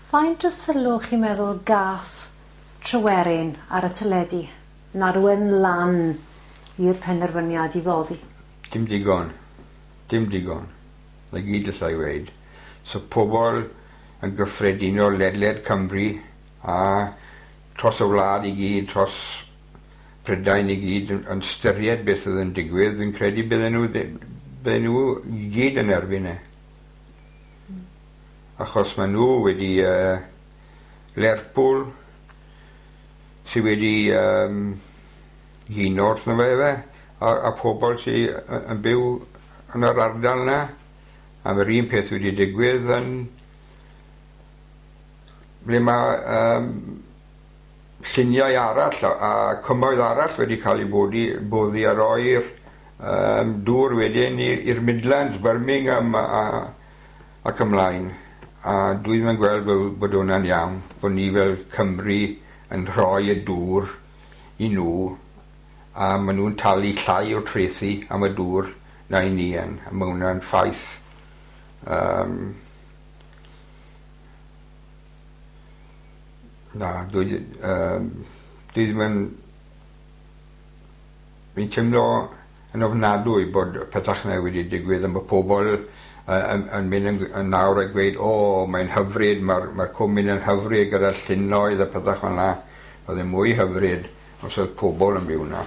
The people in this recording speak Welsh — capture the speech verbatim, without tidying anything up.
Faint o sylw chi'n meddwl gath Tryweryn ar y teledu yn arwain lan i'r penderfyniad i foddi? Dim digon. Dim digon. 'Na gyd allai weud. So pobol yn gyffredinol ledled Cymru a tros y wlad i gyd, tros Prydain i gyd yn yn styried beth oedd yn digwydd, fi'n credu bydden nhw bydden nhw i gyd yn erbyn e. Achos maen nhw wedi uh, Lerpwl sy wedi um, huno wrtho fe efe, a, a pobl sy yn byw yn yr ardal yna. A mae'r un peth wedi digwydd yn ble mae um, lluniau arall a, a cymoedd arall wedi cael eu boddi, boddi a roi'r um, dŵr wedyn i'r Midlands, Birmingham a, a, ac ymlaen. A dwi ddim yn gweld bod, bod hwnna'n iawn, bod ni fel Cymru yn rhoi y dŵr i nhw a maen nhw'n talu llai o trethi am y dŵr na i ni yn, a mae hwnna'n ffaith. Um, na, dwi, um, dwi ddim yn... Fi'n teimlo yn ofnadwy bod pethach yna wedi digwydd a mae pobl yn, yn mynd yn, yn nawr a gweud, o, mae'n hyfryd, mae'r mae cwm mynd yn hyfryd gyda'r llynnoedd a pethach fel yna. Oedd e'n mwy hyfryd os oedd pobl yn byw yna.